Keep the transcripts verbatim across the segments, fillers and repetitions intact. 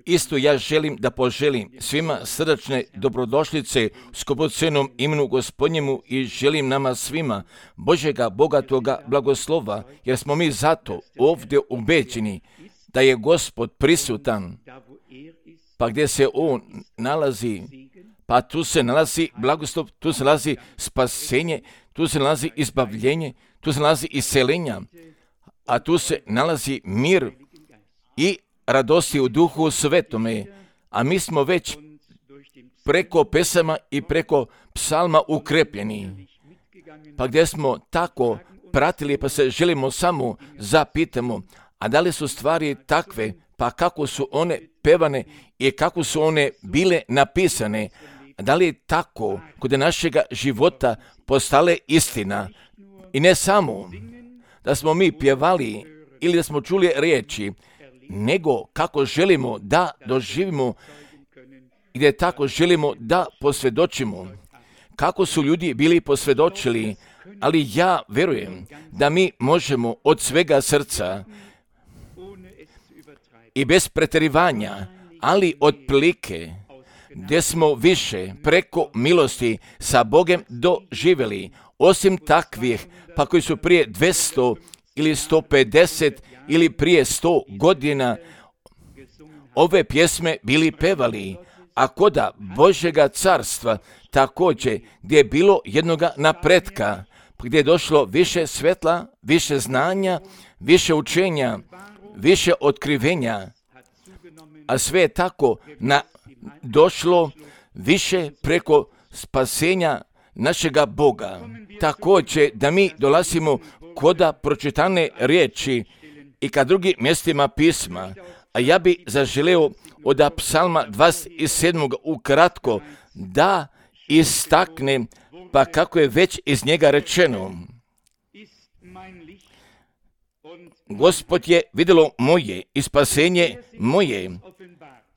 Isto ja želim da poželim svima srdačne dobrodošlice skupocenom imenu Gospodnjemu i želim nama svima Božjega bogatoga blagoslova, jer smo mi zato ovdje ubeđeni da je Gospod prisutan, pa gdje se On nalazi, pa tu se nalazi blagoslov, tu se nalazi spasenje, tu se nalazi izbavljenje, tu se nalazi iseljenja, a tu se nalazi mir i radosti u Duhu Svetome, a mi smo već preko pesama i preko psalma ukrepljeni. Pa gdje smo tako pratili, pa se želimo samo zapitamo, a da li su stvari takve, pa kako su one pevane i kako su one bile napisane, a da li je tako kod našega života postale istina. I ne samo da smo mi pjevali ili da smo čuli riječi, nego kako želimo da doživimo, gdje tako želimo da posvjedočimo. Kako su ljudi bili posvjedočili, ali ja vjerujem da mi možemo od svega srca i bez pretjerivanja, ali otprilike gdje smo više preko milosti sa Bogom doživjeli, osim takvih, pa koji su prije dvjesto ili sto pedeset ili prije sto godina ove pjesme bili pevali, a koda Božjega carstva također gdje je bilo jednoga napretka, gdje je došlo više svetla, više znanja, više učenja, više otkrivenja, a sve je tako na, došlo više preko spasenja našega Boga. Također da mi dolazimo koda pročitane riječi i ka drugim mjestima pisma, a ja bi zaželeo od psalma dvadeset sedam ukratko da istaknem, pa kako je već iz njega rečeno. Gospod je vidjelo moje i spasenje moje,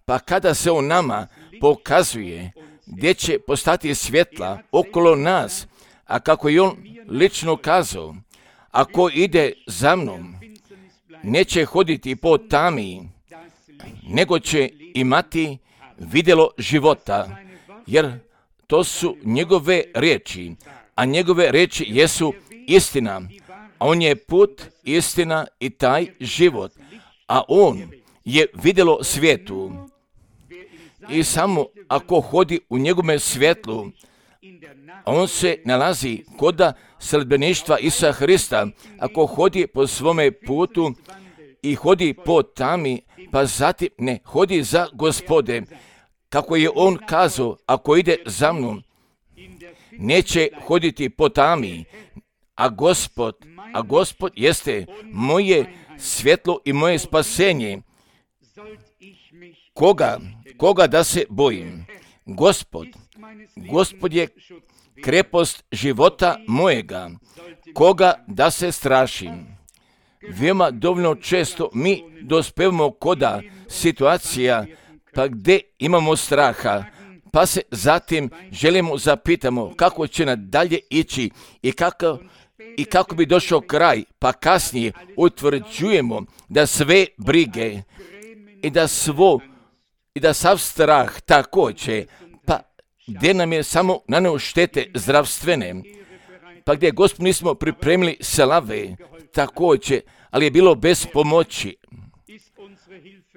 pa kada se on nama pokazuje gdje će postati svjetla okolo nas, a kako je on lično kazao, ako ide za mnom, neće hoditi po tami, nego će imati vidjelo života, jer to su njegove riječi, a njegove riječi jesu istina, a on je put, istina i taj život, a on je vidjelo svijetu. I samo ako hodi u njegovome svjetlu, on se nalazi koda sledbeništva Isusa Hrista, ako hodi po svome putu i hodi po tami, pa zatim ne hodi za Gospode, kako je on kazao, ako ide za mnom, neće hoditi po tami, a Gospod, a Gospod jeste moje svjetlo i moje spasenje. Koga, koga da se bojim? Gospod, Gospod je krepost života mojega, koga da se strašim. Veoma dovoljno često mi dospevamo koda situacija, pa gdje imamo straha, pa se zatim želimo zapitamo kako će nadalje ići i kako, i kako bi došao kraj, pa kasnije utvrđujemo da sve brige i da svo i da sav strah također, pa gdje nam je samo naneo štete zdravstvene, pa gdje Gospod nismo pripremili slave također, ali je bilo bez pomoći.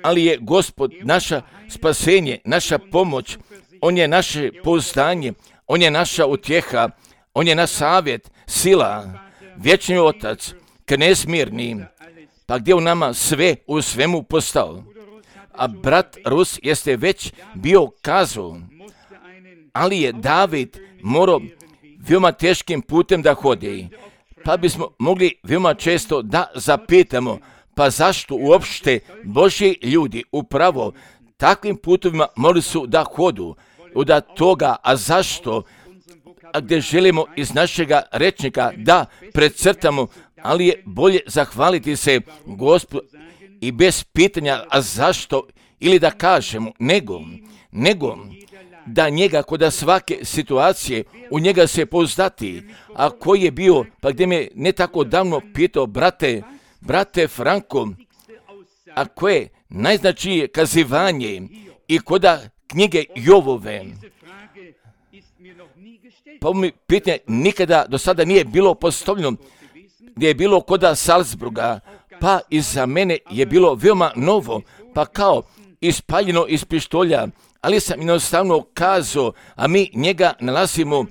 Ali je Gospod naša spasenje, naša pomoć, on je naše pouzdanje, on je naša utjeha, on je naš savjet, sila, vječni otac, knez mirni, pa gdje u nama sve u svemu postao. A brat Rus jeste već bio kazao, ali je David morao veoma teškim putem da hodi, pa bismo mogli veoma često da zapitamo, pa zašto uopšte Božji ljudi upravo takvim putovima morali su da hodu, od toga, a zašto, a gdje želimo iz našega rečnika da precrtamo, ali je bolje zahvaliti se Gospodu i bez pitanja, a zašto, ili da kažemo, nego, nego da njega kod svake situacije u njega se pouzdati, a koji je bio, pa gdje me ne tako davno pitao, brate, brate Franko, a koje najznačajnije kazivanje i koda knjige Jovove. Pa mi pitanje nikada do sada nije bilo postavljeno gdje je bilo koda Salzburga, pa i za mene je bilo veoma novo, pa kao ispaljeno iz pištolja, ali sam jednostavno kazao, a mi njega nalazimo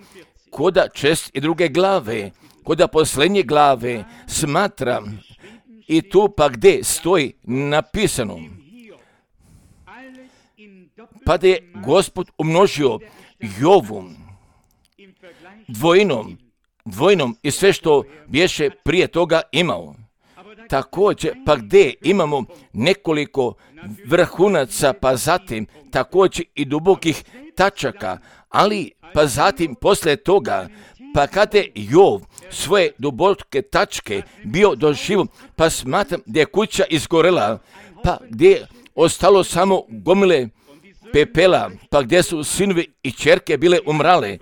koda čest i druge glave, koda posljednje glave smatra i tu pa gdje stoji napisano. Pa da je Gospod umnožio Jovu dvojinom, dvojnom i sve što bješe prije toga imao. Također, pa gdje imamo nekoliko vrhunaca, pa zatim također i dubokih tačaka, ali pa zatim poslije toga, pa kada je Jov svoje duboke tačke bio doživio, pa smatram da je kuća izgorela, pa gdje je ostalo samo gomile pepela, pa gdje su sinovi i ćerke bile umrale,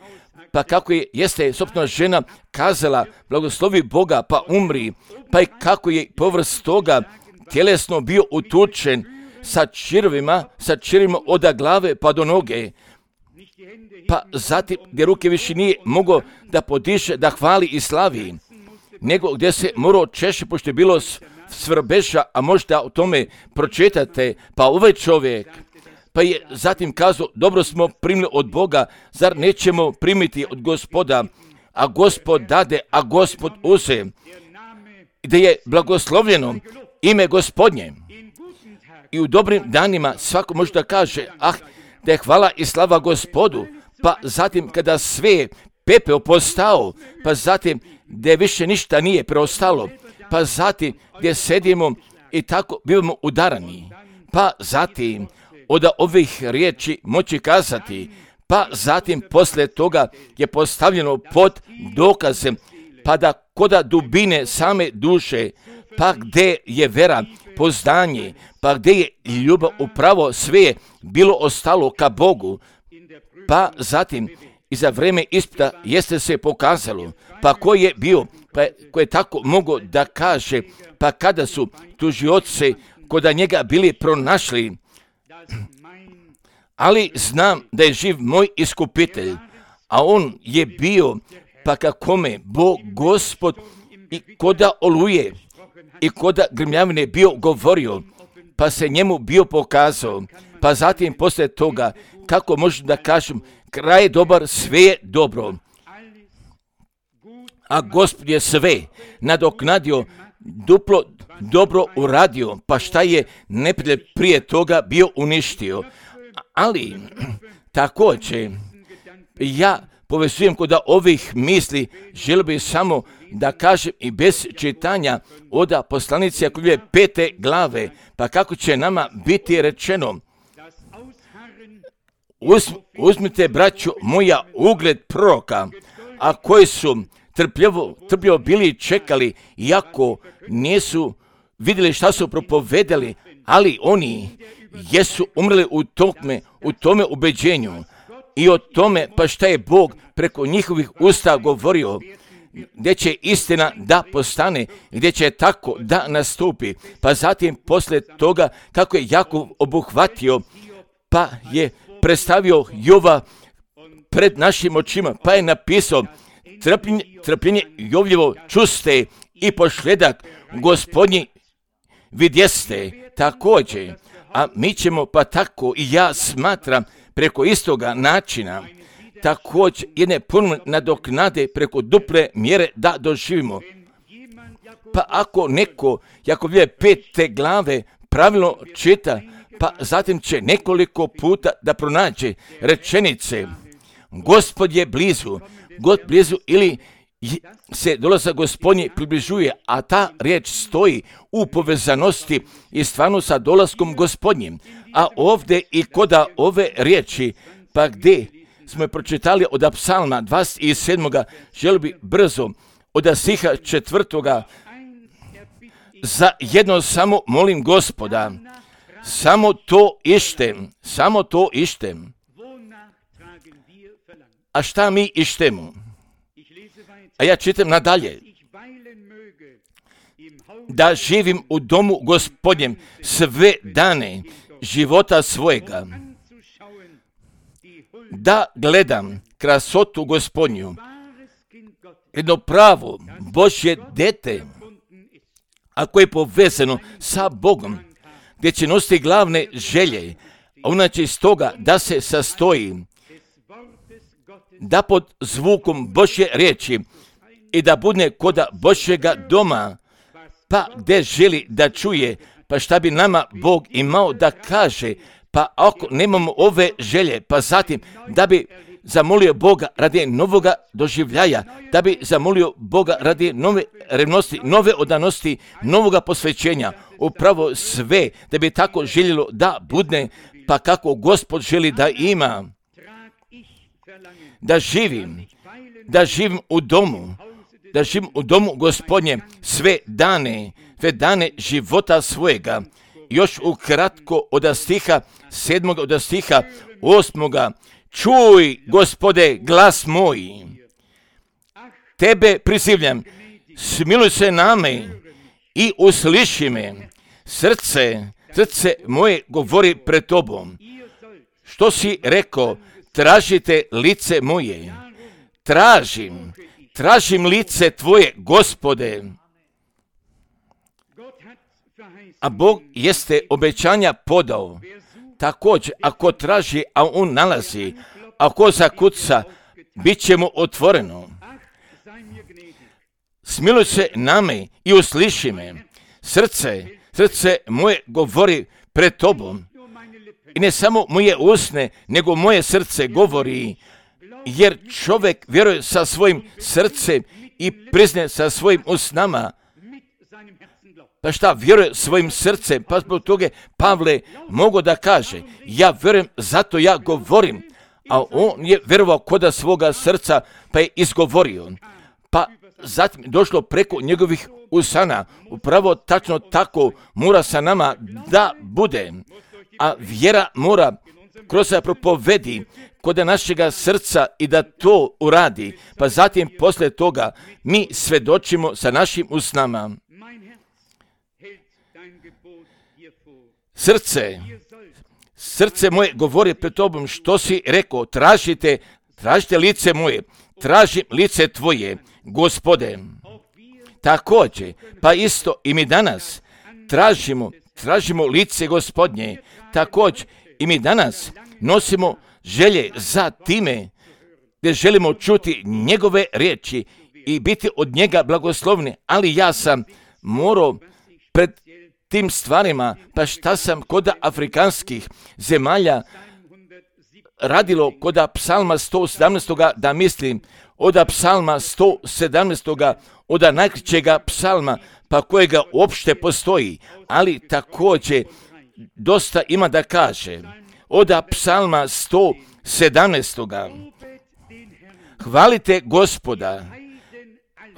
pa kako je, jeste sobstvena žena kazala, blagoslovi Boga, pa umri, pa i kako je povrst toga tjelesno bio utučen sa čirvima, sa čirvima od glave pa do noge, pa zatim gdje ruke više nije mogao da podiše, da hvali i slavi, nego gdje se morao češe, pošto je bilo svrbeša, a možda o tome pročitate, pa ovaj čovjek, pa je zatim kazao, dobro smo primili od Boga, zar nećemo primiti od Gospoda, a Gospod dade, a Gospod uze, da je blagoslovljeno ime Gospodnje. I u dobrim danima svako može da kaže, ah, da je hvala i slava Gospodu, pa zatim kada sve pepeo postao, pa zatim gdje više ništa nije preostalo, pa zatim gdje sedimo i tako bivamo udarani, pa zatim od ovih riječi moći kazati, pa zatim poslije toga je postavljeno pod dokazem, pa da koda dubine same duše, pa gdje je vera, poznanje, pa gdje je ljubav, upravo sve je bilo ostalo ka Bogu, pa zatim i za vrijeme ispita jeste se pokazalo, pa ko je bio, pa ko je tako mogao da kaže, pa kada su tužioci koda njega bili pronašli, ali znam da je živ moj iskupitelj, a on je bio, pa kakome Bog Gospod i koda oluje i koda grmljavine bio govorio, pa se njemu bio pokazao, pa zatim poslije toga, kako možem da kažem, kraj je dobar, sve je dobro. A Gospod je sve nadoknadio, duplo dobro uradio, pa šta je neprijatelj prije toga bio uništio. Ali također ja povezujem kod ovih misli, želio bih samo da kažem i bez čitanja od poslanice Jakobove pete glave, pa kako će nama biti rečeno, Uz, uzmite, braćo moja, ugled proroka, a koji su trpljivo, trpljivo bili čekali, iako nisu vidjeli šta su propovedali, ali oni jesu umrli u tome, u tome ubeđenju i o tome pa šta je Bog preko njihovih usta govorio, gdje će istina da postane, gdje će tako da nastupi. Pa zatim poslije toga kako je Jakov obuhvatio, pa je predstavio Jova pred našim očima, pa je napisao trpljenje, trpljenje Jovljevo čuste i pošledak Gospodnji vidjeste također, a mi ćemo pa tako i ja smatram preko istoga načina također jedne puno nadoknade preko duple mjere da doživimo. Pa ako neko Jakovljeve pete glave pravilno čita, pa zatim će nekoliko puta da pronađe rečenice Gospod je blizu, God blizu ili se dolazak Gospodnji približuje, a ta riječ stoji u povezanosti i stvarno sa dolaskom Gospodnjim. A ovdje i koda ove riječi, pa gdje smo je pročitali od psalma dvadeset sedam. Želio bi brzo od stiha četvrtoga. Za jedno samo molim Gospoda, samo to ištem, samo to ištem. A šta mi ištemo? A ja čitam nadalje. da živim u domu Gospodnjem sve dane života svojega, da gledam krasotu Gospodnju, jedno pravo Božje dete, ako je povezano sa Bogom, gdje će nositi glavne želje, a inače iz toga da se sastoji, da pod zvukom Božje riječi i da bude kod Božjega doma, pa gdje želi da čuje, pa šta bi nama Bog imao da kaže, pa ako nemamo ove želje, pa zatim da bi zamolio Boga radi novoga doživljaja, da bi zamolio Boga radi nove revnosti, nove odanosti, novoga posvećenja, upravo sve, da bi tako željelo da bude, pa kako Gospod želi da ima, da živim, da živim u domu, da živim u domu Gospodnje sve dane, sve dane života svojega. Još ukratko od stiha sedmog, od stiha osmoga, čuj, Gospode, glas moj, tebe prizivljam, smiluj se na me i usliši me, srce, srce moje govori pred tobom. Što si rekao, tražite lice moje, tražim, tražim lice tvoje, Gospode. A Bog jeste obećanja podao. Također, ako traži, a on nalazi, ako zakuca, bit će mu otvoreno. Smiluj se na me i usliši me. Srce, srce moje govori pred tobom. I ne samo moje usne, nego moje srce govori, jer čovjek vjeruje sa svojim srcem i prizne sa svojim usnama. Pa šta vjeruje svojim srcem, pa zbog toga Pavle mogu da kaže, ja vjerujem, zato ja govorim, a on je vjerovao koda svoga srca, pa je izgovorio. Pa zatim došlo preko njegovih usana, upravo tačno tako mora sa nama da bude, a vjera mora kroz propovedi kod našega srca i da to uradi, pa zatim poslije toga mi svedočimo sa našim usnama. Srce, srce moje govori pred tobom, što si rekao, tražite, tražite lice moje, tražim lice tvoje, Gospode. Također, pa isto i mi danas tražimo, tražimo lice Gospodnje, također i mi danas nosimo želje za time, gdje želimo čuti njegove riječi i biti od njega blagoslovni, ali ja sam morao pred tim stvarima, pa šta sam kod afrikanskih zemalja radilo kod psalma sto sedamnaest. da mislim, od psalma sto sedamnaest. od najkraćega psalma, pa kojega uopšte postoji, ali također dosta ima da kaže. Od psalma sto sedamnaest. Hvalite Gospoda,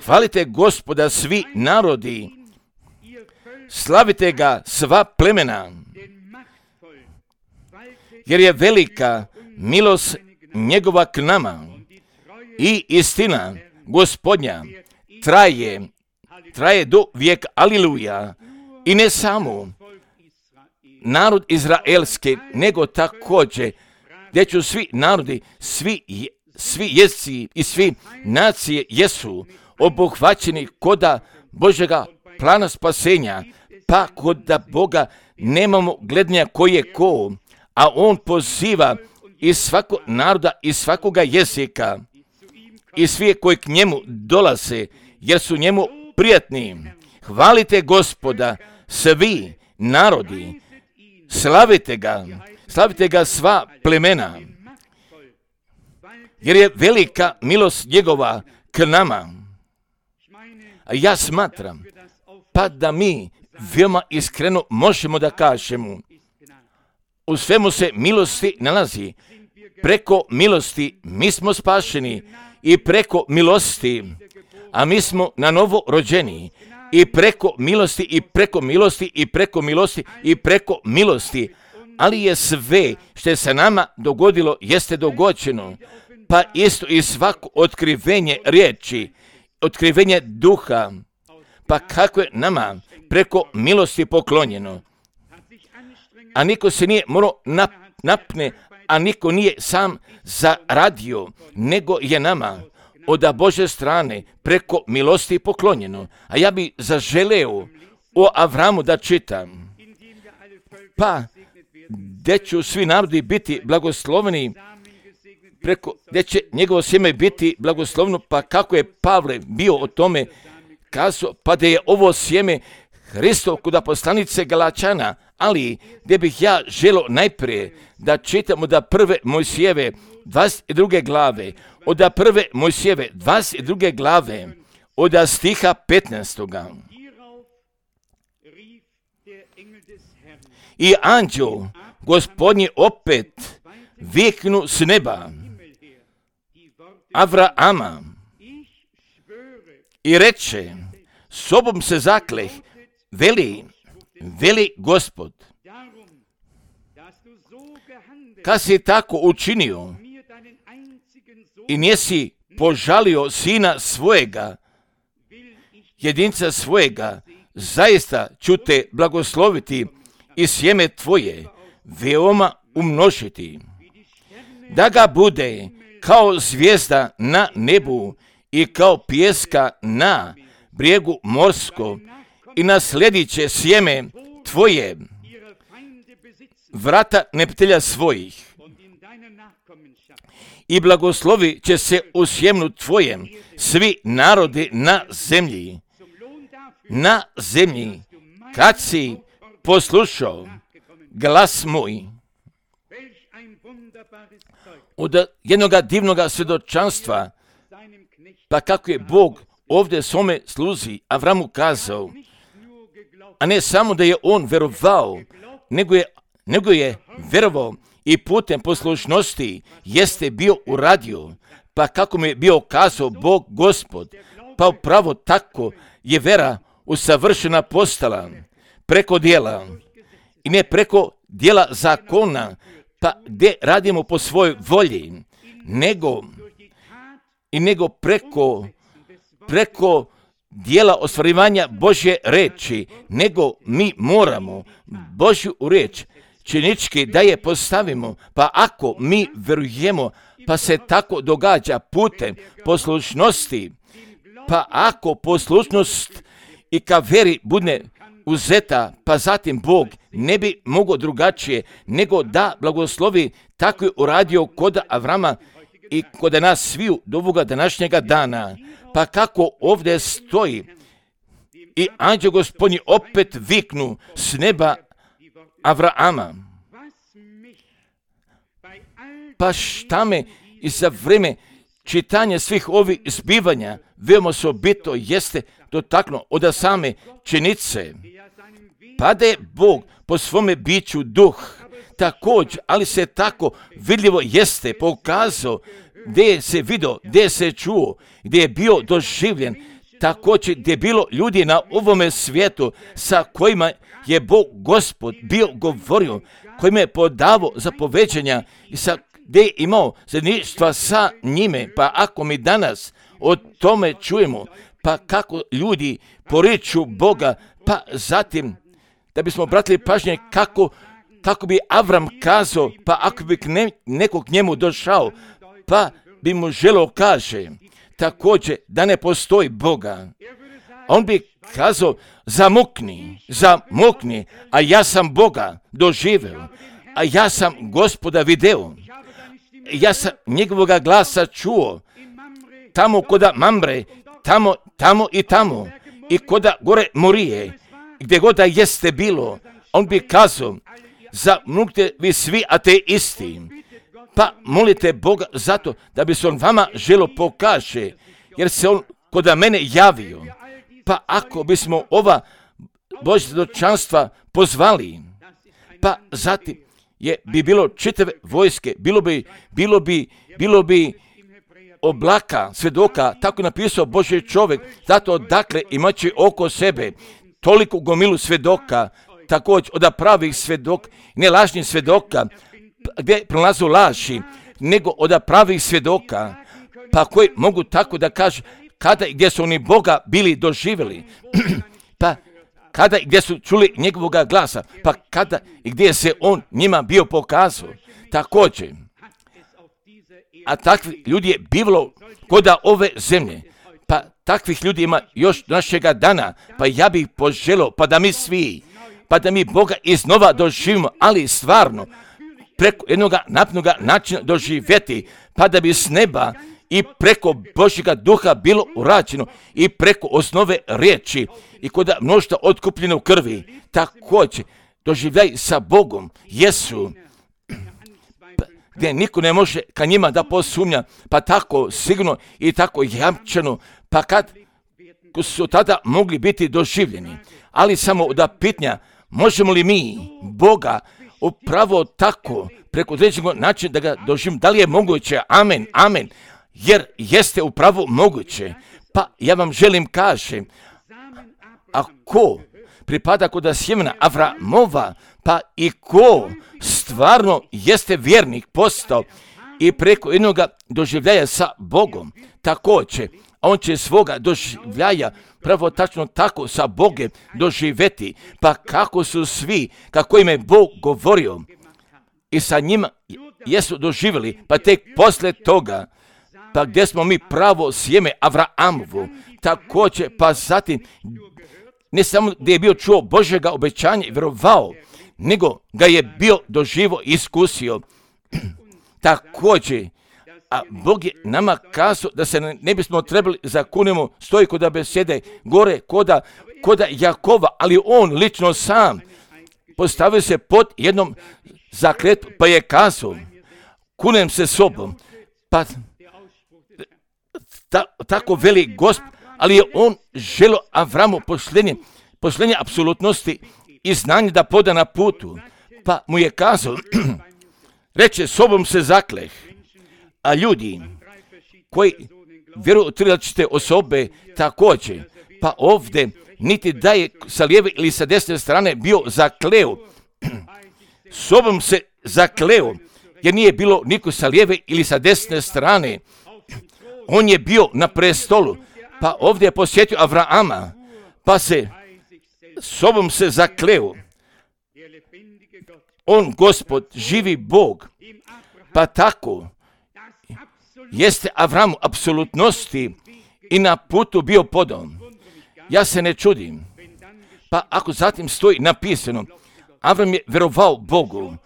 hvalite Gospoda svi narodi, slavite ga sva plemena, jer je velika milost njegova k nama i istina Gospodnja traje, traje do vijeka, aliluja. I ne samo narod izraelski, nego također gdje ću svi narodi, svi, svi jezici i svi nacije jesu obuhvaćeni koda Božjega plana spasenja, pa kod da Boga nemamo gledanja koji je ko, a on poziva iz svakog naroda, iz svakoga jezika i svi koji k njemu dolaze, jer su njemu prijatni. Hvalite Gospoda svi narodi, slavite ga, slavite ga sva plemena, jer je velika milost njegova k nama. A ja smatram, pa da mi veoma iskreno možemo da kažemo, u svemu se milosti nalazi. Preko milosti mi smo spašeni i preko milosti, a mi smo na novo rođeni i preko milosti i preko milosti i preko milosti i preko milosti. Ali je sve što je se nama dogodilo jeste dogođeno, pa isto i svako otkrivenje riječi, otkrivenje duha, pa kako je nama preko milosti poklonjeno. A niko se nije morao nap, napne, a niko nije sam zaradio, nego je nama od Bože strane preko milosti poklonjeno. A ja bi zaželeo o Avramu da čitam. Pa, gdje će svi narodi biti blagosloveni, preko, gdje će njegovo sjeme biti blagoslovno, pa kako je Pavle bio o tome kazao, pa da je ovo sjeme Hristov kod poslanice Galačana, ali gdje bih ja želio najprije da čitamo da prve Mojsijeve dvadeset druge glave, od prve Mojsijeve dvadeset druge glave, od stiha petnaestoga. I anđel Gospodnji opet viknu s neba Avrama i reče, sobom se zakleh, veli, veli Gospod, kad si tako učinio i nisi požalio sina svojega, jedinca svojega, zaista ću te blagosloviti i sjeme tvoje veoma umnožiti, da ga bude kao zvijezda na nebu i kao pijeska na brijegu morsko i nasledit će sjeme tvoje vrata neprijatelja svojih i blagoslovi će se u sjemnu tvojem svi narodi na zemlji, na zemlji, kad si poslušao glas moj. Od jednog divnog svjedočanstva, pa kako je Bog ovdje svome sluzi Avramu kazao, a ne samo da je on verovao, nego je, nego je verovao i putem poslušnosti jeste bio uradio, pa kako mi je bio kazao Bog Gospod, pa upravo tako je vera usavršena postala preko dijela i ne preko dijela zakona, pa gdje radimo po svojoj volji, nego i nego preko preko dijela ostvarivanja Božje reči, nego mi moramo Božju reč činički da je postavimo, pa ako mi verujemo, pa se tako događa putem poslušnosti, pa ako poslušnost i ka veri bude uzeta, pa zatim Bog ne bi mogao drugačije nego da blagoslovi, tako je uradio kod Avrama i kod nas sviju do ovoga današnjega dana. Pa kako ovdje stoji i anđeo Gospodnji opet viknu s neba Avrama. Pa šta me i za vrijeme čitanja svih ovih zbivanja veoma osobito jeste dotaknuo od same činice, pa da je Bog po svome biću duh također, ali se tako vidljivo jeste pokazao, gdje se vidio, gdje se čuo, gdje je bio doživljen, također gdje je bilo ljudi na ovome svijetu sa kojima je Bog Gospod bio govorio, kojima je podavao zapoveđenja i sa gdje je imao zajedništva sa njime. Pa ako mi danas o tome čujemo, pa kako ljudi poriču Boga, pa zatim da bismo obratili pažnje kako, kako bi Avram kazao, pa ako bi ne, nekog njemu došao, pa bi mu želeo kaže također da ne postoji Boga. On bi kazao, zamukni, zamukni, a ja sam Boga doživeo, a ja sam Gospoda video, ja sam njegovoga glasa čuo, tamo koda Mamre, tamo, tamo i tamo, i koda gore Morije, gdje god da jeste bilo, on bi kazao, zamuknite vi svi ateisti, pa molite Boga zato da bi se on vama želo pokaže, jer se on kod mene javio. Pa ako bismo ova Božja svjedočanstva pozvali, pa zatim je bi bilo čitave vojske, bilo bi, bilo bi, bilo bi oblaka svjedoka, tako napisao Božji čovjek, zato dakle imaći oko sebe toliko gomilu svjedoka, također od pravih svjedok, ne lažnih svjedoka, gdje prolazu laži, nego od pravih svjedoka, pa koji mogu tako da kažu, kada i gdje su oni Boga bili doživjeli, pa kada i gdje su čuli njegovoga glasa, pa kada i gdje se on njima bio pokazao. Također, a takvi ljudi je bivalo koda ove zemlje, pa takvih ljudi ima još do našega dana, pa ja bih poželio, pa da mi svi, pa da mi Boga iznova doživimo, ali stvarno, preko jednog napnoga načina doživjeti, pa da bi s neba i preko Božjega duha bilo urađeno i preko osnove riječi i kod mnoštva otkupljeno u krvi, također doživljaj sa Bogom, jesu, gdje niko ne može ka njima da posumnja, pa tako sigurno i tako jamčeno, pa kad su tada mogli biti doživljeni, ali samo da pitanja, možemo li mi Boga upravo tako, preko određenog načina da ga doživimo, da li je moguće, amen, amen, jer jeste upravo moguće, pa ja vam želim kažem, ako pripada kod sjemena Avramova, pa i ko stvarno jeste vjernik postao i preko jednog doživljaja sa Bogom, također, on će svoga doživljaja pravo tačno tako sa Bogom doživjeti, pa kako su svi, kako im je Bog govorio i sa njima jesu doživjeli, pa tek poslije toga, pa gdje smo mi pravo sjeme Avramovu, također, pa zatim, ne samo gdje je bio čuo Božjega obećanja i vjerovao, nego ga je bio doživo iskusio. Također, a Bog je nama kazao da se ne bismo trebali zakunemo stoji kod besede gore koda, koda Jakova, ali on lično sam postavio se pod jednom zakletu, pa je kazao, kunem se sobom, pa ta, tako veli Gospod, ali je on želo Avramu pošlenje, pošlenje apsolutnosti i znanje da poda na putu, pa mu je kazao, reče, sobom se zakleh, a ljudi koji vjeruju u tri različite osobe također, pa ovdje niti da je sa lijeve ili sa desne strane bio zakleo, sobom se zakleo, jer nije bilo niko sa lijeve ili sa desne strane, on je bio na prestolu, pa ovdje je posjetio Avrama, pa se sobom se zakleo, on Gospod, živi Bog, pa tako jeste Avramu apsolutnosti i na putu bio podom. Ja se ne čudim, pa ako zatim stoji napisano, Avram je vjerovao Bogu,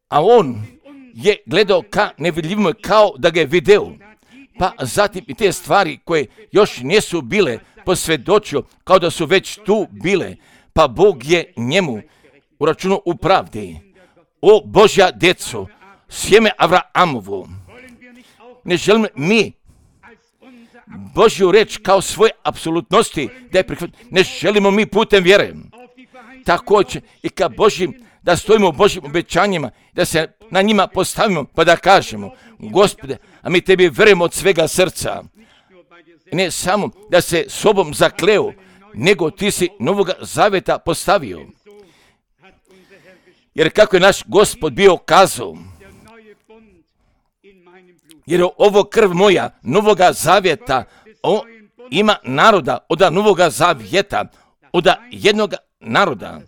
a on je gledao ka nevidljivome kao da ga je video, pa zatim i te stvari koje još nisu bile posvjedočio kao da su već tu bile, pa Bog je njemu uračunao u pravdi. O Božja djeco, sjeme Avramovo, ne želimo mi Božju reč kao svoje apsolutnosti da je prihvatimo, ne želimo mi putem vjere. Također i ka Božjim, da stojimo u Božjim obećanjima, da se na njima postavimo pa da kažemo, Gospode, a mi tebi vjerujemo od svega srca. Ne samo da se sobom zakleo, nego ti si Novoga Zaveta postavio. Jer kako je naš Gospod bio kazao, jer ovo krv moja Novoga Zavjeta o, ima naroda od Novoga Zavjeta, od jednog naroda,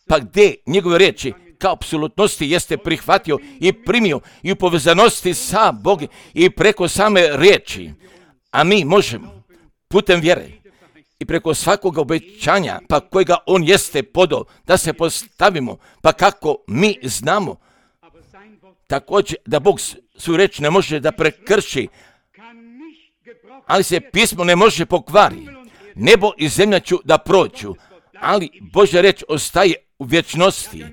pa gdje njegove riječi kao apsolutnosti jeste prihvatio i primio i u povezanosti sa Bogom i preko same riječi, a mi možemo putem vjere i preko svakog obećanja, pa kojega on jeste podao, da se postavimo, pa kako mi znamo, također da Bog svoju reč ne može da prekrši, ali se pismo ne može pokvari. Nebo i zemlja ću da prođu, ali Božja reč ostaje u vječnosti.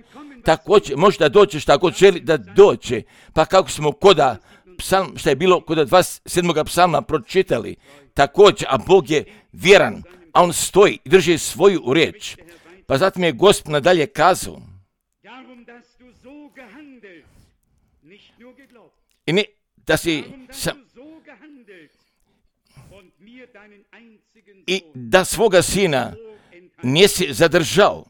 Također može da dođe šta god želi da dođe, pa kako smo koda psalm, šta je bilo kod dvadeset sedmog psalma pročitali, također, a Bog je vjeran, a on stoji i drži svoju riječ. Pa zatim je Gospod nadalje kazao, i ne, da si sam, i da svoga sina nisi zadržao.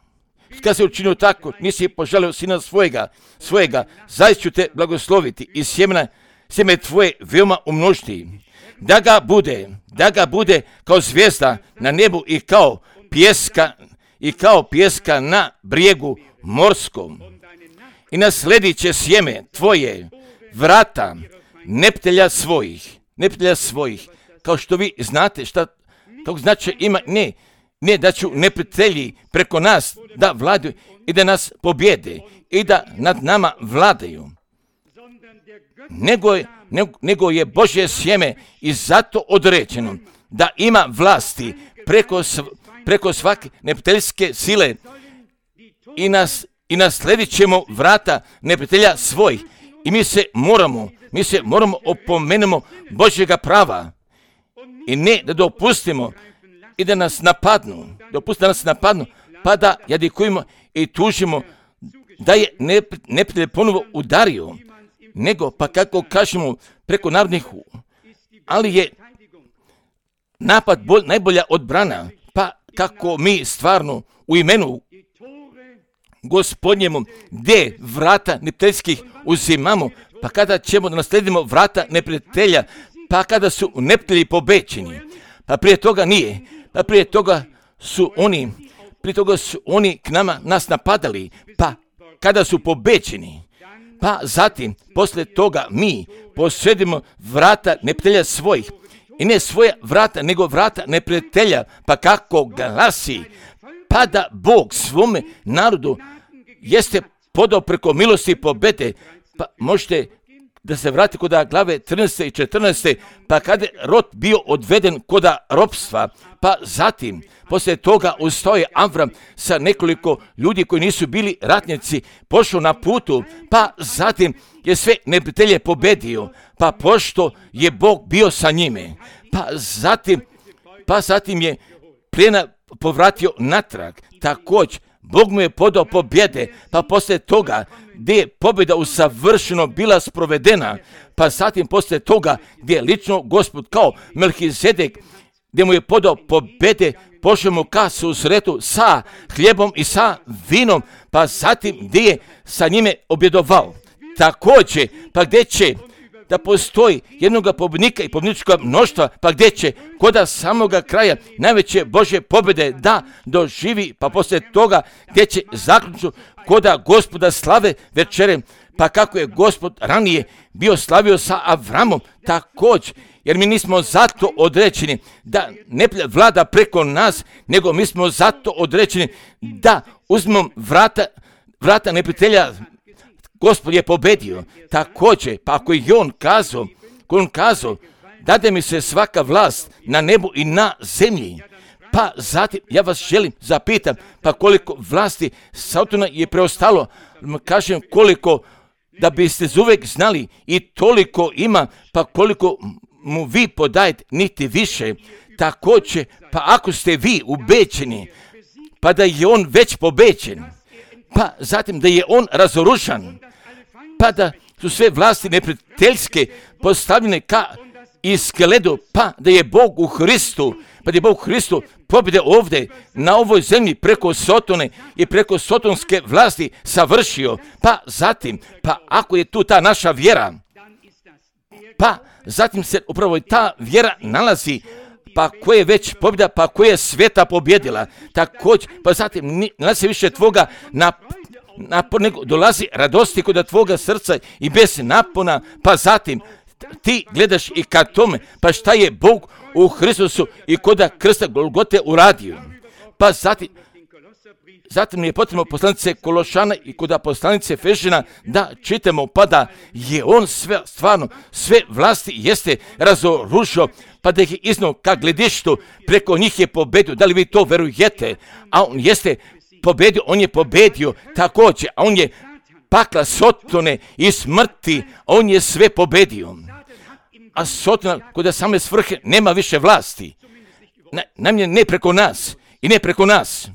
Kad se učinio tako, nisi poželio sina svojega, svojega, zaista ću te blagosloviti i sjemena, sjeme tvoje veoma umnožiti, da ga bude, da ga bude kao zvijezda na nebu i kao pjeska, i kao pjeska na brijegu morskom. I nasledit će sjeme tvoje vrata neptelja svojih, neptelja svojih, kao što vi znate šta to znači ima, ne, ne da ću neprijatelji preko nas da vladaju i da nas pobjede i da nad nama vladaju, nego je, nego, nego je Božje sjeme i zato određeno da ima vlasti preko, preko svake neprijateljske sile i, nas, i nasledit ćemo vrata neprijatelja svojih. I mi se moramo, mi se moramo opomenemo Božjega prava i ne da dopustimo i da nas napadnu, dopustimo da nas napadnu, pa da jadikujemo i tužimo da je neprijatelj ponovo udario, nego pa kako kažemo preko narodnih, ali je napad bolj, najbolja odbrana, pa kako mi stvarno u imenu Gospodnjemu gdje vrata neprijateljskih uzimamo, pa kada ćemo da nasledimo vrata neprijatelja, pa kada su neprijatelji pobećeni, pa prije toga nije, pa prije toga su oni, prije toga su oni k nama nas napadali, pa kada su pobećeni, pa zatim poslije toga mi posjedimo vrata neprijatelja svojih, i ne svoja vrata, nego vrata neprijatelja, pa kako glasi, pa da Bog svome narodu jeste podao preko milosti i pobede, pa možete da se vrati kod glave trinaeste i četrnaeste, pa kada je rod bio odveden kod ropstva, pa zatim, poslije toga ustao je Avram sa nekoliko ljudi koji nisu bili ratnici, pošao na putu, pa zatim je sve neprijatelje pobedio, pa pošto je Bog bio sa njime, pa zatim, pa zatim je plijena povratio natrag, također Bog mu je podao pobjede, pa poslije toga gdje je pobjeda usavršeno bila sprovedena, pa zatim poslije toga gdje je lično Gospod kao Melhizedek, gdje mu je podao pobjede, pošao mu ka susretu sa hljebom i sa vinom, pa zatim gdje je sa njime objedovao. Također, pa gdje će da postoji jednoga pobjednika i pobjedničkog mnoštva, pa gdje će koda samoga kraja najveće Božje pobjede da doživi, pa poslije toga gdje će zaključno koda Gospoda slave večere, pa kako je Gospod ranije bio slavio sa Avramom, također, jer mi nismo zato određeni da ne vlada preko nas, nego mi smo zato određeni da uzmemo vrata, vrata neprijatelja. Gospod je pobedio. Također, pa ako je on kazao, ako on kazao, dade mi se svaka vlast na nebu i na zemlji, pa zatim ja vas želim zapitam, pa koliko vlasti Satana je preostalo, kažem koliko, da biste uvijek znali i toliko ima, pa koliko mu vi podajete, niti više. Također, pa ako ste vi ubeđeni, pa da je on već pobeđen, pa zatim da je on razoružan, pa da su sve vlasti neprijateljske postavljene ka iskeledu, pa da je Bog u Hristu, pa da je Bog u Hristu pobjede ovdje na ovoj zemlji preko Sotone i preko sotonske vlasti savršio, pa zatim, pa ako je tu ta naša vjera, pa zatim se upravo ta vjera nalazi, pa koja je već pobjeda, pa koja je sveta pobjedila, također, pa zatim nalazi više tvoga na napon, nego dolazi radosti kod tvoga srca i bez napona, pa zatim ti gledaš i ka tome, pa šta je Bog u Hristusu i kod krsta Golgote uradio, pa zatim, zatim je potrebno poslanice Kološana i kod poslanice Efežana da čitamo, pa da je on sve, stvarno sve vlasti jeste razoružio, pa da ih je iznao ka gledištu, preko njih je pobedio. Da li vi to verujete? A on jeste pobedio, on je pobedio također, a on je pakla Sotone i smrti, on je sve pobedio. A Sotona kod same svrhe nema više vlasti. Na, namje ne preko nas i ne preko nas.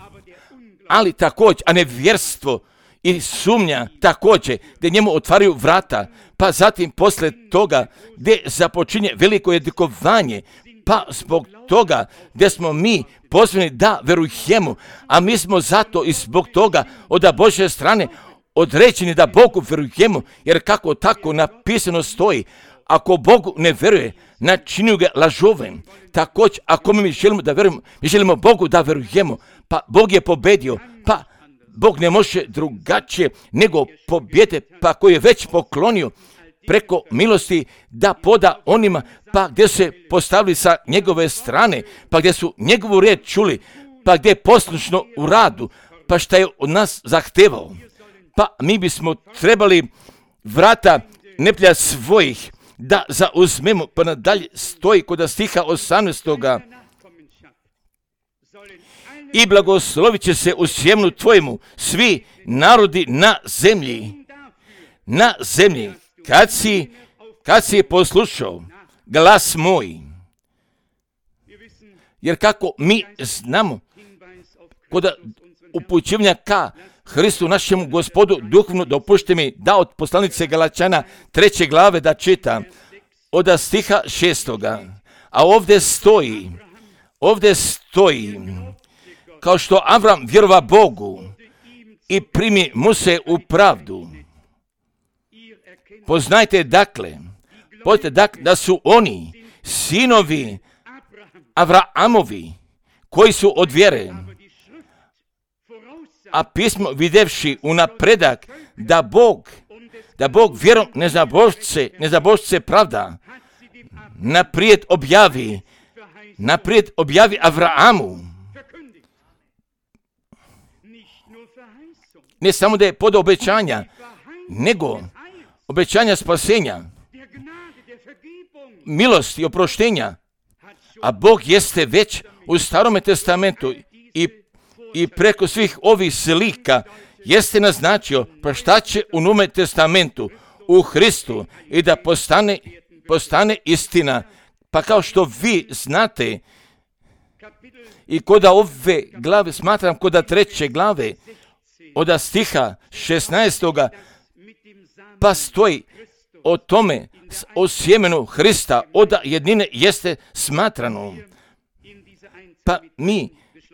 Ali također, a nevjerstvo i sumnja također, gdje njemu otvaraju vrata, pa zatim posle toga gdje započinje veliko jedikovanje, pa zbog toga gdje smo mi pozvani da verujemo, a mi smo zato i zbog toga od Božje strane određeni da Bogu verujemo, jer kako tako napisano stoji, ako Bogu ne vjeruje, načinju ga lažovem. Također, ako mi želimo da vjerujemo, mi želimo Bogu da vjerujemo, pa Bog je pobedio, pa Bog ne može drugačije nego pobjede, pa koji je već poklonio preko milosti da poda onima, pa gdje su se postavili sa njegove strane, pa gdje su njegovu riječ čuli, pa gdje je poslušno u radu, pa šta je od nas zahtevao. Pa mi bismo trebali vrata neprijatelja svojih da zauzmemo, pa nadalje stoji kod stiha osamnaestoga i blagoslovit će se u sjemenu tvojemu svi narodi na zemlji, na zemlji, kad si, kad si poslušao glas moj. Jer kako mi znamo, kod upućivanja ka Hristu našemu Gospodu duhovno, dopušte mi da od poslanice Galačana treće glave da čitam od stiha šestoga. A ovdje stoji, ovdje stoji, kao što Avram vjerova Bogu i primi mu se u pravdu. Poznajte dakle, poznajte dakle da su oni sinovi Avraamovi koji su od vjere, a pismo videvši unapredak da Bog, da Bog vjerom nezabožce, nezabožce pravda, naprijed objavi, naprijed objavi Avraamu. Ne samo da je pod obećanja, nego obećanja spasenja, milosti i oproštenja, a Bog jeste već u Starome testamentu i, i preko svih ovih slika jeste naznačio pa šta će u Novome testamentu u Hristu i da postane, postane istina. Pa kao što vi znate, i kod ove glave, smatram kod treće glave, od stiha šesnaestoga, pa stoji o tome, o sjemenu Hrista, od jednine jeste smatrano. Pa mi,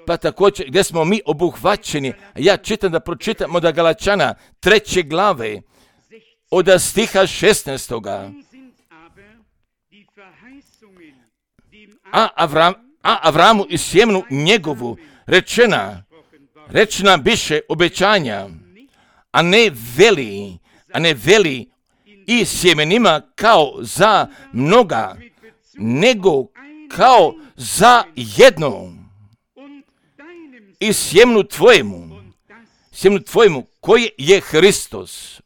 pa također gdje smo mi obuhvaćeni, ja čitam da pročitam od Galačana treće glave, od stiha šesnaestoga. A, Avram, a Avramu i sjemenu njegovu rečena, rečena biše obećanja, a ne veli, a ne veli i sjemenima kao za mnoga, nego kao za jedno. I sjemenu tvojemu, sjemenu tvojemu, koji je Hristos.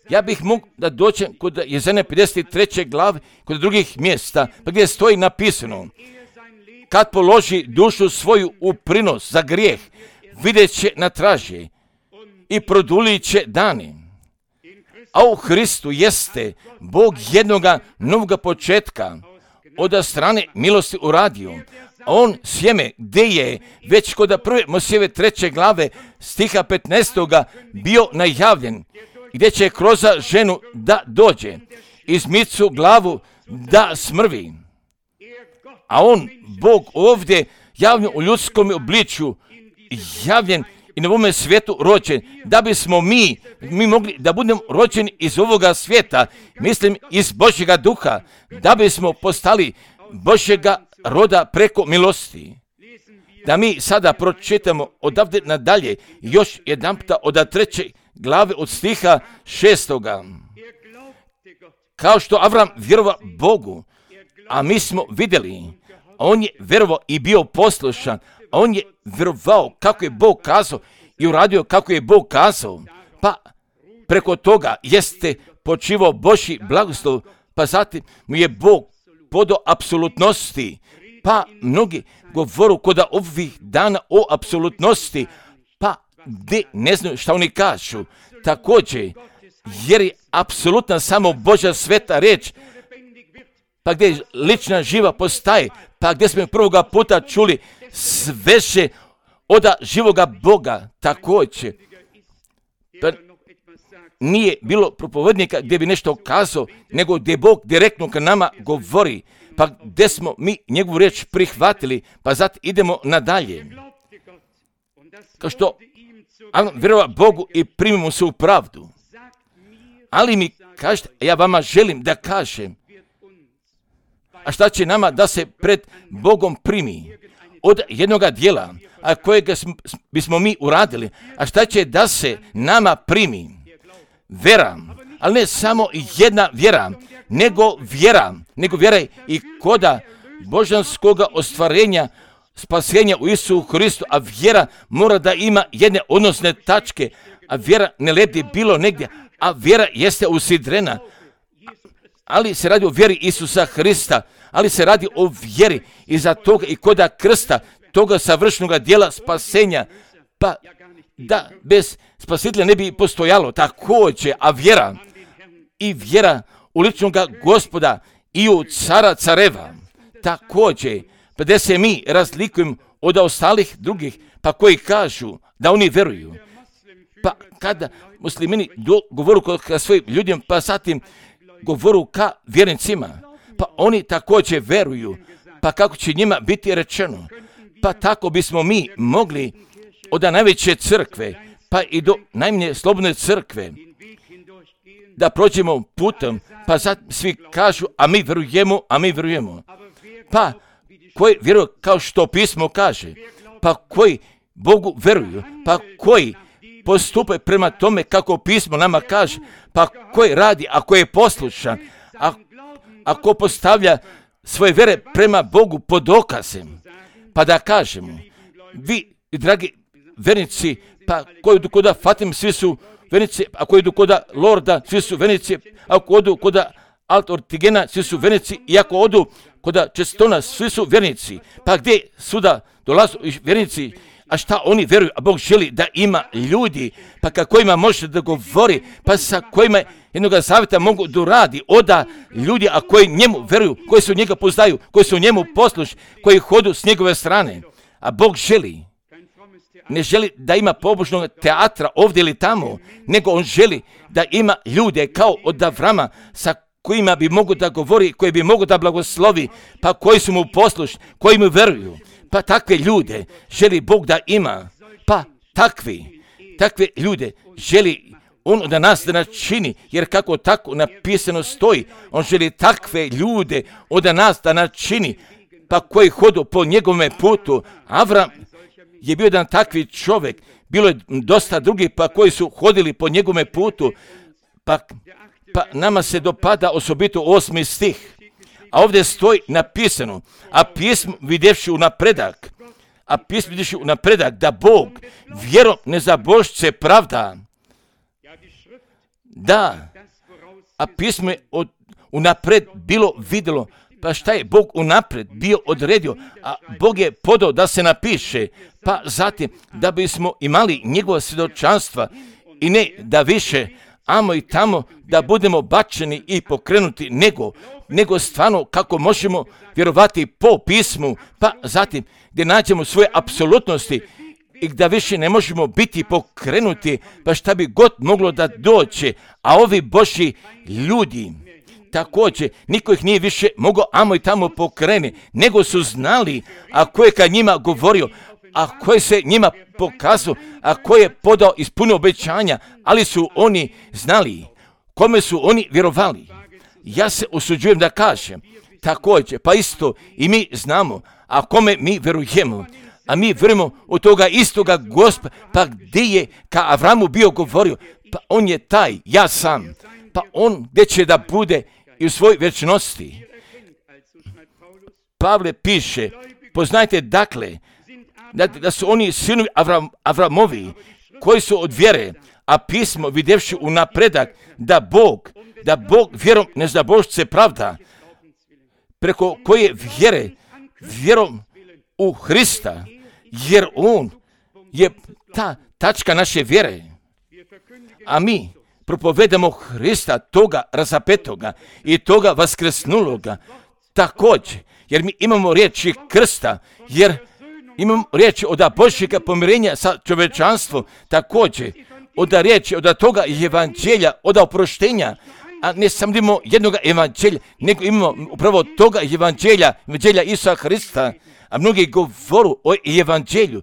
Ja bih mogu da dođem kod Jezajne pedeset treće glave, kod drugih mjesta, pa gdje stoji napisano, kad položi dušu svoju u prinos za grijeh, vidjet će na traže i produlit će dani. A u Hristu jeste Bog jednoga novoga početka od strane milosti uradio. A on sjeme gdje je već kod prve Mojsijeve treće glave stiha petnaestoga bio najavljen, gdje će kroz ženu da dođe, izmicu glavu da smrvi. A on, Bog ovdje javljen u ljudskom obličju, javljen i na ovome svijetu rođen, da bismo mi, mi mogli da budemo rođeni iz ovoga svijeta, mislim iz Božjega duha, da bismo postali Božjega roda preko milosti. Da mi sada pročitamo odavde nadalje još jedan puta od treće glave od stiha šestoga. Kao što Avram vjerova Bogu, a mi smo vidjeli, on je vjerovao i bio poslušan, a on je vjerovao kako je Bog kazao i uradio kako je Bog kazao. Pa preko toga jeste počivao Božji blagoslov, pa zatim mu je Bog podao apsolutnosti. Pa mnogi govoru kod ovih dana o apsolutnosti, pa gdje ne znaju šta oni kažu. Također, jer je apsolutna samo Božja sveta riječ, pa gdje lična živa postaje, pa gdje smo prvoga puta čuli sveže od živoga Boga, također. Pa nije bilo propovednika gdje bi nešto kazao, nego gdje Bog direktno k nama govori, pa gdje smo mi njegovu riječ prihvatili, pa zato idemo nadalje. Kao što vjerova Bogu i primimo se u pravdu. Ali mi kažete, ja vama želim da kažem. A šta će nama da se pred Bogom primi od jednoga dijela, a kojega bismo mi uradili? A šta će da se nama primi? Vera, ali ne samo jedna vjera, nego vjera, nego vjera i koda božanskoga ostvarenja, spasenja u Isusu Hristu, a vjera mora da ima jedne odnosne tačke, a vjera ne leti bilo negdje, a vjera jeste usidrena, ali se radi o vjeri Isusa Hrista, ali se radi o vjeri iza toga i koda krsta, toga savršenog dijela spasenja, pa da bez spasitelja ne bi postojalo također, a vjera i vjera u ličnog Gospoda i u cara careva također, pa da se mi razlikujemo od ostalih drugih, pa koji kažu da oni veruju. Pa kada muslimini govoru ka svojim ljudima, pa zatim govoru ka vjernicima, pa oni također veruju, pa kako će njima biti rečeno, pa tako bismo mi mogli od najveće crkve, pa i do najmanje slobodne crkve, da prođemo putem, pa sad svi kažu, a mi verujemo, a mi verujemo. Pa koji vjeruju kao što pismo kaže, pa koji Bogu veruju, pa koji postupe prema tome kako pismo nama kaže, pa koji radi, ako je poslušan, a, ako postavlja svoje vjere prema Bogu pod dokazem, pa da kažemo, vi, dragi vernici, pa koji idu koda Fatim, svi su vernici, a koji idu koda Lorda, svi su vernici, ako odu koda Alt Ortigena, svi su vernici, i ako odu koda Čestona, svi su vernici. Pa gdje suda dolazu vernici, a šta oni vjeruju, a Bog želi da ima ljudi, pa ka kojima može da govori, pa sa kojima jednoga savjeta mogu da radi, oda ljudi, a koji njemu vjeruju, koji su njega poznaju, koji su njemu poslušni, koji hodu s njegove strane. A Bog želi, ne želi da ima pobožnog teatra ovdje ili tamo, nego on želi da ima ljude kao od Avrama sa kojima bi mogu da govori, koji bi mogu da blagoslovi, pa koji su mu poslušni, koji mu veruju. Pa takve ljude želi Bog da ima, pa takvi, takve ljude želi on da nas da načini, jer kako tako napisano stoji, on želi takve ljude od nas da načini, pa koji hodu po njegovome putu. Avram je bio jedan takvi čovjek, bilo je dosta drugih pa koji su hodili po njegovome putu, pa, pa nama se dopada osobito osmi stih. A ovdje stoji napisano, a pismo vidjevši u napredak, a pismo vidjevši u napredak, da Bog vjerom nezabožce pravda. Da, a pismo je od, unapred bilo vidjelo, pa šta je Bog unapred bio odredio, a Bog je podao da se napiše, pa zatim da bismo imali njegova svjedočanstva i ne da više amo i tamo da budemo bačeni i pokrenuti, nego, nego stvarno kako možemo vjerovati po pismu, pa zatim gdje nađemo svoje apsolutnosti i da više ne možemo biti pokrenuti, pa šta bi god moglo da dođe, a ovi Božji ljudi, također, niko ih nije više mogao amo i tamo pokreni, nego su znali, a ko je ka njima govorio, a ko je se njima pokazao, a ko je podao ispunio obećanja, ali su oni znali, kome su oni vjerovali. Ja se usuđujem da kažem, također, pa isto i mi znamo, a kome mi vjerujemo, a mi vjerujemo u toga istoga Gospoda, pa gdje je ka Avramu bio govorio, pa on je taj, ja sam, pa on gdje će da bude i u svojoj vječnosti. Pavle piše, poznajte dakle, da, da su oni sinovi Avram, Avramovi, koji su od vjere, a pismo vidjevši u napredak, da Bog, da Bog vjerom nezabožce pravda, preko koje vjere, vjerom u Hrista, jer on je ta tačka naše vjere, a mi propovedamo Hrista, toga razapetoga i toga vaskresnuloga, također, jer mi imamo riječi krsta, jer imamo riječi od Božjega pomirenja sa čovječanstvom, također, od riječi od toga evanđelja, od oproštenja, a ne samo imamo jednog evanđelja, nego imamo upravo toga evanđelja, evanđelja Isusa Hrista, a mnogi govoru o evanđelju,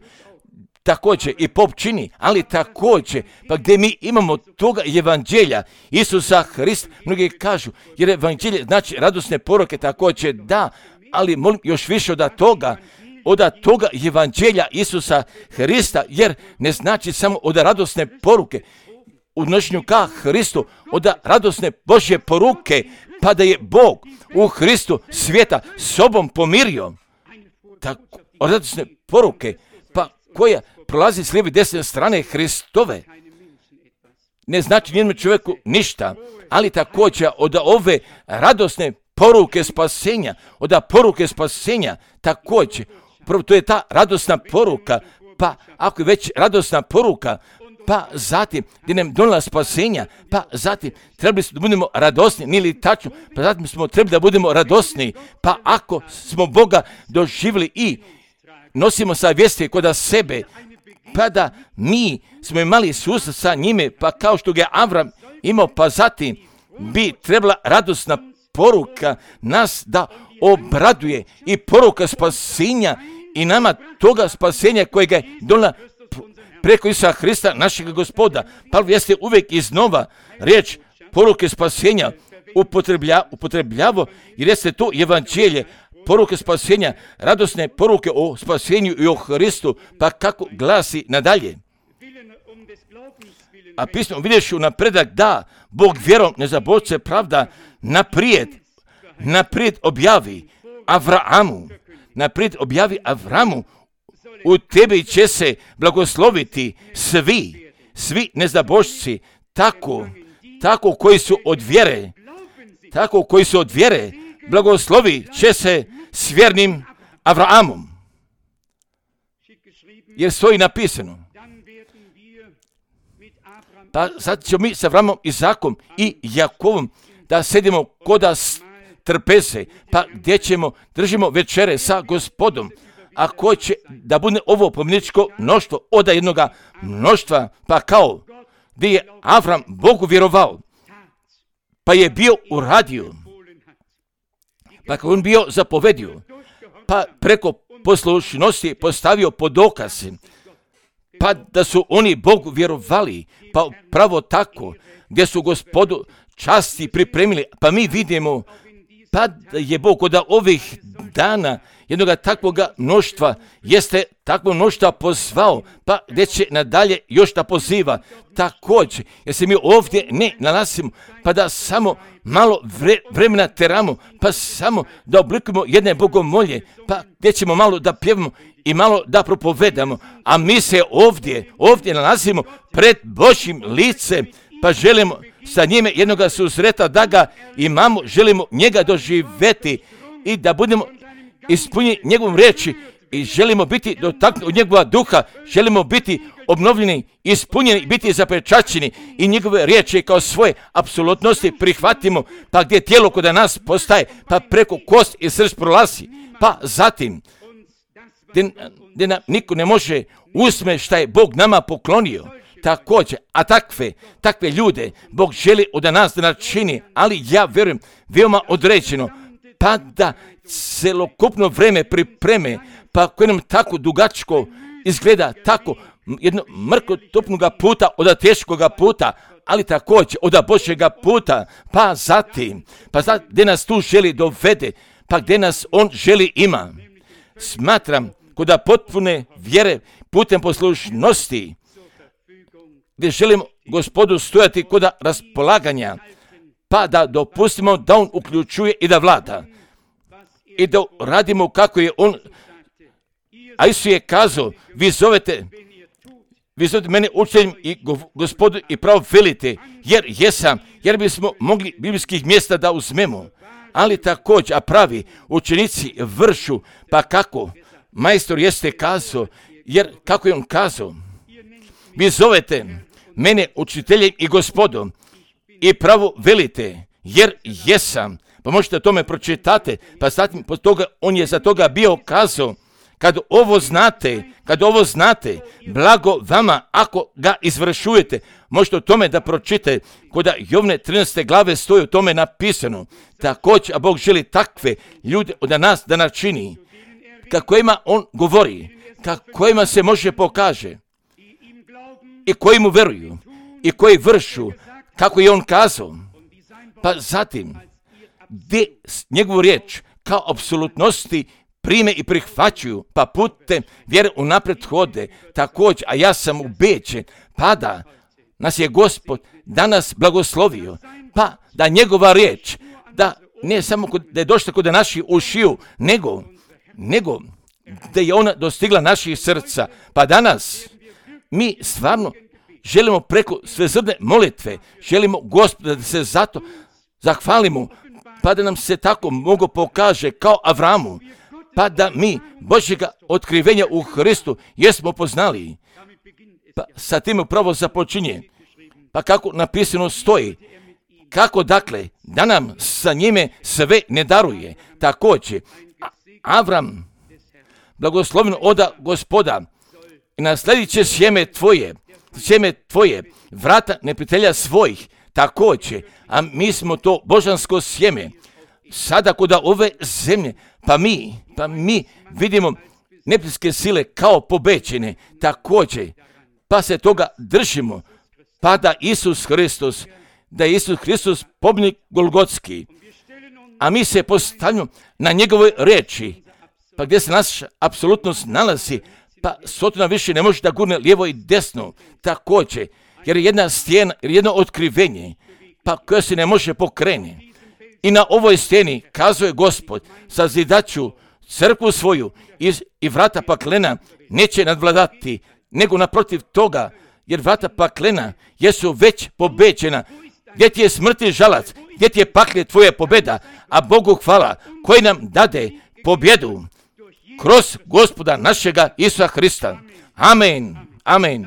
također i pop čini, ali također, pa gdje mi imamo toga evanđelja Isusa Hrista, mnogi kažu, jer evanđelje znači radosne poruke, također da, ali molim još više od toga, od toga evanđelja Isusa Hrista, jer ne znači samo od radosne poruke, u nošnju ka Hristu, od radosne Božje poruke, pa da je Bog u Hristu svijeta sobom pomirio. Tako, od radosne poruke, pa koja prolazi s lijeve i desne strane Hristove, ne znači nijednom čovjeku ništa, ali također od ove radosne poruke spasenja, od poruke spasenja također, prvo to je ta radosna poruka, pa ako je već radosna poruka, pa zatim gdje nam donijela spasenja, pa zatim trebali smo da budemo radosni, nije li tačno, pa zatim smo trebali da budemo radosni, pa ako smo Boga doživjeli i nosimo sa vijesti kod sebe, pa da mi smo imali susret sa njime, pa kao što ga je Avram imao, pa zatim bi trebala radosna poruka nas da obraduje i poruka spasenja i nama toga spasenja kojega je donijela preko Isusa Hrista, našeg Gospoda. Pa jeste uvijek iznova riječ poruke spasenja upotreblja, upotrebljavo, jer jeste to evanđelje, poruke spasenja, radosne poruke o spasenju i o Hristu, pa kako glasi nadalje. A pismo vidješ u napredak da Bog vjerom nezaboravce pravda naprijed, naprijed objavi Avramu, naprijed objavi Avramu, u tebi će se blagosloviti svi, svi nezabošci, tako, tako koji su od vjere, tako koji su od vjere, blagoslovi će se s vjernim Avraamom. Jer stoji napisano. Pa sad ćemo mi sa Avramom, Izakom i Jakovom da sedimo koda trpeze, pa gdje ćemo, držimo večere sa Gospodom, a ko će da bude ovo pomničko mnoštvo od jednoga mnoštva, pa kao gdje je Avram Bogu vjerovao, pa je bio uradio, pa kao on bio zapovedio, pa preko poslušnosti postavio pod dokaz, pa da su oni Bogu vjerovali, pa pravo tako, gdje su Gospodu časti pripremili, pa mi vidimo, pa je Bog od ovih dana jednoga takvoga mnoštva, jeste takvo mnoštva pozvao, pa gdje će nadalje još da poziva. Također, jer se mi ovdje ne nalazimo, pa da samo malo vre, vremena teramo, pa samo da oblikujemo jedne bogomolje, pa gdje ćemo malo da pjevamo i malo da propovedamo, a mi se ovdje, ovdje nalazimo pred Božjim licem, pa želimo sa njime jednoga susreta da ga imamo, želimo njega doživjeti i da budemo ispunjeni njegovom riječi i želimo biti dotaknuti od njegova duha, želimo biti obnovljeni, ispunjeni, biti zapečaćeni i njegove riječi kao svoje apsolutnosti prihvatimo, pa gdje tijelo kod nas postaje, pa preko kost i srž prolazi, pa zatim gdje nam niko ne može uzme šta je Bog nama poklonio. Također, a takve, takve ljude Bog želi od nas da načini, ali ja vjerujem veoma određeno, pa da celokupno vreme pripreme, pa koje nam tako dugačko izgleda, tako jedno mrkotopnoga puta od teškoga puta, ali također od Božjega puta, pa zatim, pa zatim gdje nas tu želi dovede, pa gdje nas on želi ima. Smatram kod potpune vjere putem poslušnosti, gdje želimo Gospodu stojati kod raspolaganja, pa da dopustimo da on uključuje i da vlada. I da radimo kako je on, a Isus je kazao, vi zovete, vi zovete mene učiteljem i Gospodu i pravo velite, jer jesam, jer bismo mogli biblijskih mjesta da uzmemo, ali također, a pravi učenici vršu, pa kako, majstor jeste kazao, jer kako je on kazao, vi zovete mene učiteljem i Gospodom i pravo velite, jer jesam. Pa možete tome pročitate, pa zatim pod toga, on je za toga bio kazao, kad ovo znate, kad ovo znate, blago vama ako ga izvršujete. Možete o tome da pročitate, kod Jovne trinaeste glave stoji o tome napisano. Također, a Bog želi takve ljude od nas da načini, kako ima on govori, kojima se može pokaže i koji mu veruju i koji vršu kako je on kazao. Pa zatim, gdje njegovu riječ kao apsolutnosti prime i prihvaćuju, pa putem vjere unaprijed hode, također, a ja sam ubeđen, pa da nas je Gospod danas blagoslovio, pa da njegova riječ, da ne samo kod, da je došla kod naših ušiju, nego, nego da je ona dostigla naših srca, pa danas mi stvarno želimo preko svezdane molitve, želimo Gospoda da se zato zahvalimo, pa da nam se tako mogu pokaže kao Avramu, pa da mi Božjega otkrivenja u Hristu jesmo poznali. Pa sa tim upravo započinje. Pa kako napisano stoji, kako dakle da nam sa njime sve ne daruje. Također, Avram, blagoslovno oda Gospoda, i nasledit će sjeme tvoje, sjeme tvoje, vrata neprijatelja svojih, također, a mi smo to božansko sjeme. Sada kod ove zemlje, pa mi, pa mi vidimo neprijateljske sile kao pobećene, također, pa se toga držimo, pa da Isus Hristos, da je Isus Hristos pobjednik Golgotski, a mi se postavljamo na njegovoj reči, pa gdje se naša apsolutnost nalazi, pa Sotona više ne može da gurne lijevo i desno, također, jer je jedna stijena, jer je jedno otkrivenje, pa koje se ne može pokrenuti. I na ovoj stijeni kazuje Gospod, sazidaću crkvu svoju i, i vrata paklena neće nadvladati, nego naprotiv toga, jer vrata paklena jesu već pobeđena. Gdje ti je smrti žalac, gdje ti je paklje tvoja pobjeda, a Bogu hvala koji nam dade pobjedu kroz Gospoda našega Isusa Hrista. Amen, amen.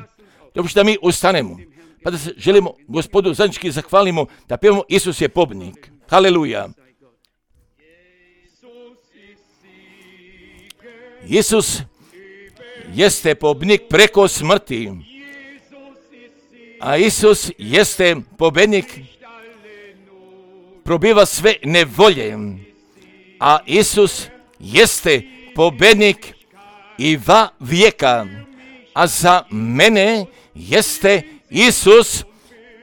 Dobro što mi ustanemo, pa da se želimo Gospodu zajednički zahvalimo, da pjevamo Isus je pobjednik. Haleluja. Isus jeste pobjednik preko smrti, a Isus jeste pobjednik, probiva sve nevolje, a Isus jeste pobjednik i va vijeka, a za mene jeste Isus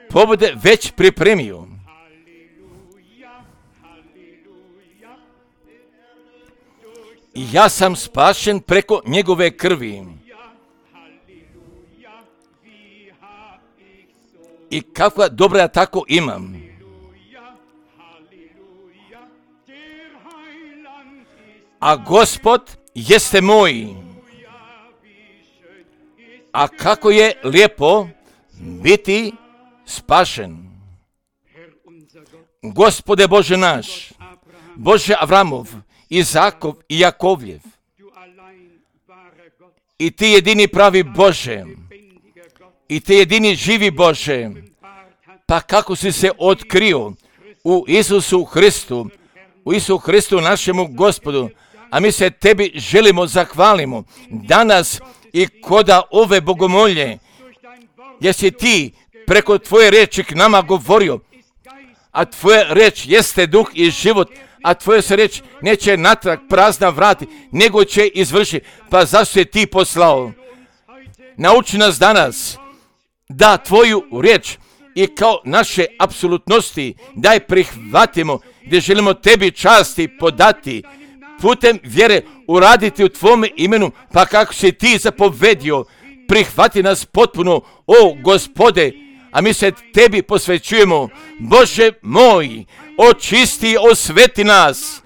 pobjede već pripremio. Ja sam spašen preko njegove krvi. I kakva dobra ja tako imam. A Gospod jeste moj. A kako je lijepo biti spašen. Gospode Bože naš, Bože Avramov, Izakov i Jakovljev, i ti jedini pravi Bože, i ti jedini živi Bože, pa kako si se otkrio u Isusu Hristu, u Isusu Hristu našemu Gospodu, a mi se tebi želimo zahvalimo danas i koda ove bogomolje, jer si ti preko tvoje reči k nama govorio, a tvoja reč jeste duh i život, a tvoja se reč neće natrag prazna vrati, nego će izvršiti. Pa zašto si ti poslao? Nauči nas danas da tvoju reč i kao naše apsolutnosti daj prihvatimo, gdje želimo tebi časti podati, putem vjere uraditi u tvome imenu, pa kako si ti zapovedio, prihvati nas potpuno, o Gospode, a mi se tebi posvećujemo. Bože moj, očisti, osveti nas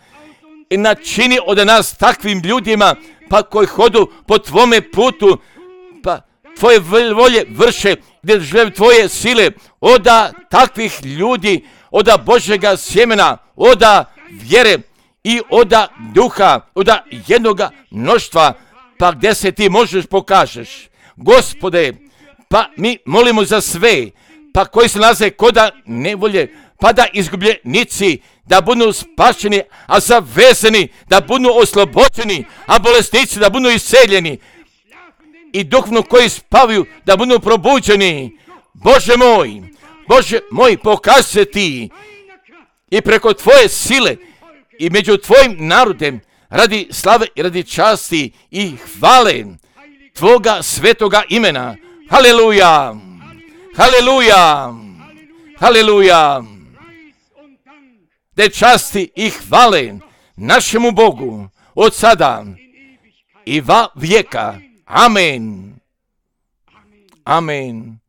i načini od nas takvim ljudima, pa koji hodu po tvome putu, pa tvoje volje vrše, gdje žele tvoje sile, oda takvih ljudi, oda Božega sjemena, oda vjere i oda duha, oda jednoga mnoštva, pa gdje se ti možeš pokažeš. Gospode, pa mi molimo za sve, pa koji se nalaze koda nevolje, pa da izgubljenici, da budu spašeni, a zavezani, da budu oslobođeni, a bolesnici da budu iseljeni, i duhovno koji spavaju, da budu probuđeni. Bože moj, Bože moj, pokaži se ti i preko tvoje sile i među tvojim narodem, radi slave i radi časti i hvale, Tvoga svetoga imena. Haleluja! Haleluja! Haleluja! De časti i hvale našemu Bogu od sada i va vijeka. Amen. Amen.